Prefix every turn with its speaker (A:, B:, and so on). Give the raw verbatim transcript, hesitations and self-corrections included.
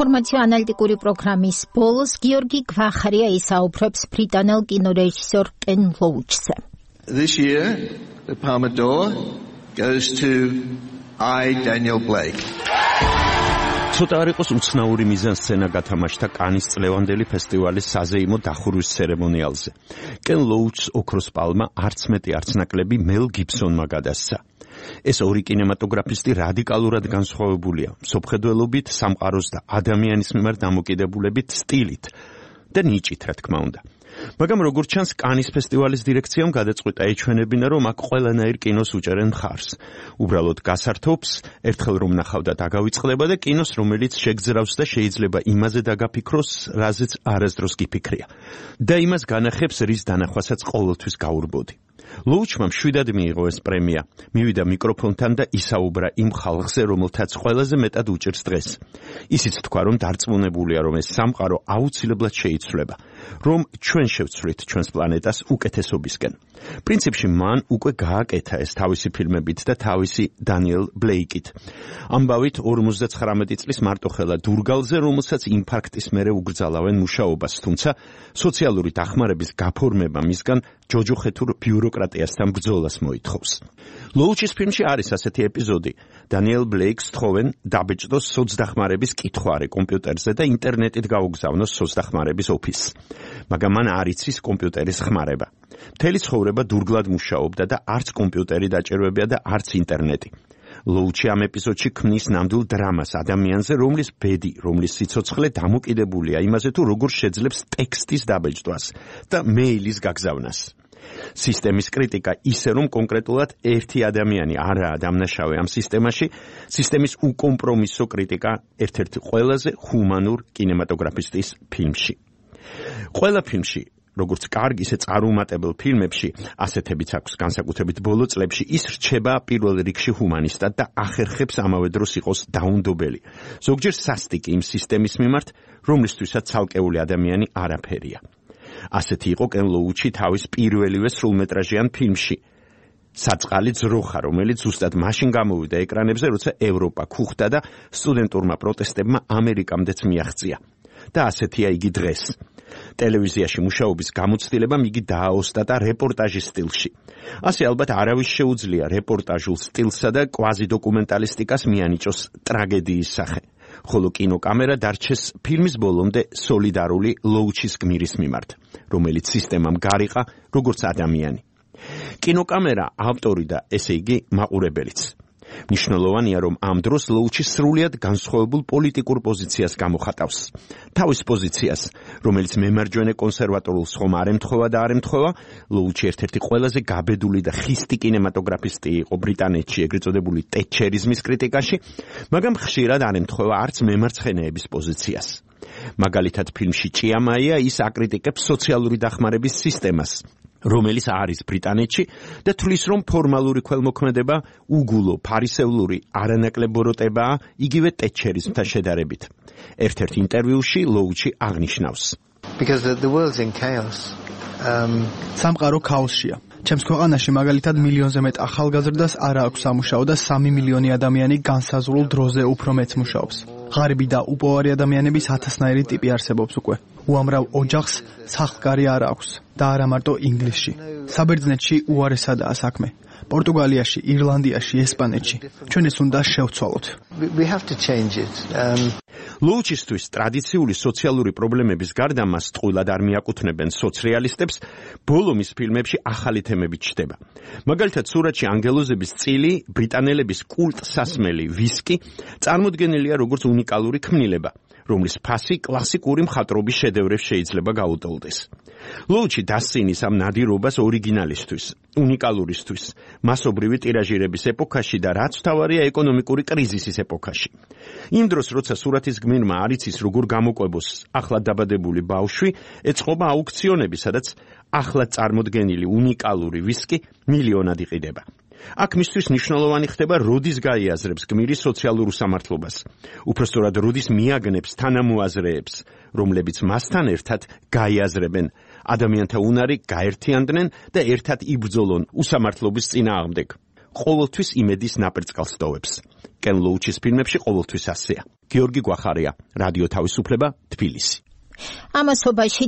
A: ინფორმაციო-ანალიტიკური პროგრამის ბოლოს გიორგი გვახარია ისაუბრებს ბრიტანელ კინორეჟისორ კენ ლოუჩზე.
B: This year, the Palme d'Or goes to I, Daniel Blake.
C: ცოტა არ იყოს უცნაური მიზანსცენა გათამაშდა კანის წლევანდელი ფესტივალის საზეიმო დახურვის ცერემონიალზე. კენ ლოუჩს ოქროს პალმა არც მეტი არც ნაკლები მელ გიბსონმა გადასცა. ეს ორი კინემატოგრაფისტი რადიკალურად განსხვავებულია მსოფლმხედველობით, სამყაროს და ადამიანის მიმართ დამოკიდებულებით, სტილით და ნიჭით, რა თქმა უნდა. მაგრამ როგორც ჩანს, კანის ფესტივალის დირექციამ გადაწყვიტა ეჩვენებინა, რომ აქ ყველანაირ კინოს უჭერენ მხარს. უბრალოდ გასართობს, ერთხელ რომ ნახავდა დაგავიწყდება და კინოს, რომელიც შეგძრავს და შეიძლება იმაზე დაგაფიქროს, რაზეც არასდროს გიფიქრია. და იმას განახებს, რის დანახვასაც ყოველთვის გაურბოდი. ლოუჩმა მშვიდად მიიღო ეს პრემია. მივიდა მიკროფონთან და ისაუბრა იმ ხალხზე, რომელთაც ყველაზე მეტად უჭირს დღეს. ისიც თქვა, რომ დარწმუნებულია, რომ ეს სამყარო აუცილებლად შეიცვლება, რომ ჩვენ შევცვლით ჩვენს პლანეტას უკეთესობისკენ. პრინციპში მან უკვე გააკეთა ეს თავისი ფილმებით და თავისი დანიელ ბლეიკით. ამბავით ორმოცდაცხრამეტი წლის მარტოხელა დურგალზე, რომელსაც ინფარქტის მერე უგრძალავენ მუშაობას, თუმცა სოციალური დახმარების გაფორმება მისგან ჯოჯოხეთურ ბიუროკრატიასთან ბრძოლას მოითხოვს. ლოუჩის ფილმში არის ასეთი ეპიზოდი. დანიელ ბლეიკს თხოვენ დაბეჭდოს სოცდახმარების კითხვარი კომპიუტერზე და ინტერნეტით გაუგზავნოს სოცდახმარების ოფისს. მაგრამ მან არ იცის კომპიუტერის ხმარება. მთელი ცხოვრება დურგლად მუშაობდა და არც კომპიუტერი დაჭირვებია და არც ინტერნეტი. ლოუჩი ამ ეპიზოდში ქმნის ნამდვილ დრამას ადამიანზე, რომლის ბედი, რომლის სიცოცხლე დამოკიდებულია იმაზე, თუ როგორ შეძლებს ტექსტის დაბეჭდვას და მეილის გაგზავნას. სისტემის კრიტიკა ისე, რომ კონკრეტულად ერთი ადამიანი არაა დამნაშავე ამ სისტემაში, სისტემის უკომპრომისო კრიტიკა ერთ-ერთი ყველაზე ჰუმანურ კინემატოგრაფისტის ფილმში. ყველა ფილმში, როგორც კარგ, ისე წარუმატებელ ფილმებში, ასეთებიც აქვს განსაკუთრებით ბოლო წლებში, ის რჩება პირველ რიგში ჰუმანისტად და ახერხებს ამავე დროს იყოს დაუნდობელი. ზოგჯერ სასტიკი იმ სისტემის მიმართ, რომლისთვისაც ცალკეული ადამიანი არაფერია. ასეთი იყო კენ ლოუჩი თავის პირველივე სრულმეტრაჟიან ფილმში საწყალი ძროხა, რომელიც ზუსტად მაშინ გამოვიდა ეკრანებზე, როცა ევროპა ქუხდა და სტუდენტურმა პროტესტებმა ამერიკამდეც მიაღწია. და ასეთია იგი დღეს. ტელევიზიაში მუშაობის გამოცდილებამ იგი დააოსტატა რეპორტაჟის სტილში. ასე ალბათ არავის შეუძლია რეპორტაჟულ სტილსა და კვაზიდოკუმენტალისტიკას მიანიჭოს ტრაგედიის სახე. ხოლო კინოკამერა დარჩეს ფილმის ბოლომდე სოლიდარული ლოუჩის გმირის მიმართ, რომელიც სისტემამ გარიყა როგორც ადამიანი. კინოკამერა ავტორი და ესე იგი მაყურებელიც. მნიშვნელოვანია, რომ ამ დროს ლოუჩი სრულიად განსხვავებულ პოლიტიკურ პოზიციას გამოხატავს. თავის პოზიციას, რომელიც მემარჯვენე კონსერვატორულს ხომ არ ემთხვევა და არ ემთხვევა, ლოუჩი ერთ-ერთი ყველაზე გაბედული და ხისტი კინემატოგრაფისტი იყო ბრიტანეთში, ეგრეთ წოდებული ტეტჩერიზმის კრიტიკაში, მაგრამ ხშირად არ ემთხვევა არც მემარცხენეების პოზიციას. მაგალითად, ფილმში ჭიამაია ის აკრიტიკებს სოციალური დახმარების სისტემას, რომელიც არის ბრიტანეთში და თვლის, რომ ფორმალური ქველმოქმედება უგულო, ფარისევლური, არანაკლებ ბოროტებაა იგივე ტეტჩერიზმთან შედარებით. ერთ-ერთ ინტერვიუში ლოუჩი აღნიშნავს.
B: Because the, the world's in chaos. Um...
D: სამყარო ქაოსშია. ჩემს ქვეყანაში მაგალითად მილიონზე მეტ ახალგაზრდას არ აქვს სამუშაო და სამი მილიონი ადამიანი განსაზღვრულ დროზე უფრო მეც მუშაობს. ღარიბი და უპოვარი ადამიანების ათასნაირი ტიპი არსებობს უკვე. უამრავ ოჯახს სახლკარი არ აქვს და არა მარტო ინგლისში. საბერძნეთში უარესადაა საქმე. პორტუგალიაში, ირლანდიაში, ესპანეთში. ჩვენ ეს უნდა შევცვალოთ.
B: We have to change it. Um...
C: ლოუჩისთვის ტრადიციული სოციალური პრობლემების გარდა მას ტყუილად არ მიაკუთვნებენ სოციალისტებს, ბოლო მის ფილმებში ახალი თემები ჩნდება. მაგალითად, სურათში ანგელოზების წილი, ბრიტანელების კულტსასმელი ვისკი წარმოდგენილია როგორც უნიკალური ქმნილება, რომლის ფასი კლასიკური მხატვრობის შედევრებს შეიძლება გაუტოლდეს. ლოუჩი დასცინის ამ ნადირობას ორიგინალისთვის, უნიკალურისთვის, მასობრივი ტირაჟირების ეპოქაში და რაც მთავარია ეკონომიკური კრიზისის ეპოქაში. იმ დროს, როცა სურათის გმირმა არ იცის როგორ გამოყვებოს ახლად დაბადებული ბავშვი, ეწყობა აუქციონები, სადაც ახლად წარმოდგენილი უნიკალური ვისკი მილიონად იყიდება. აქ მისთვის მნიშვნელოვანი ხდება, როდის გაიაზრებს გმირი სოციალურ უსამართლობას. უпростоრად როდის მიაგნებს თანამოაზრეებს, რომლებიც მასთან ერთად გაიაზრებენ ადამიანთა უნარი, გაერთიანდნენ და ერთად იბრძოლონ უსამართლობის წინააღმდეგ. ყოველთვის იმედის ნაპერწკალს ტოვებს. კენ ლოუჩის ფილმებში ყოველთვის ასეა. გიორგი გვახარია, რადიო თავისუფლება, თბილისი.
A: ამასობაში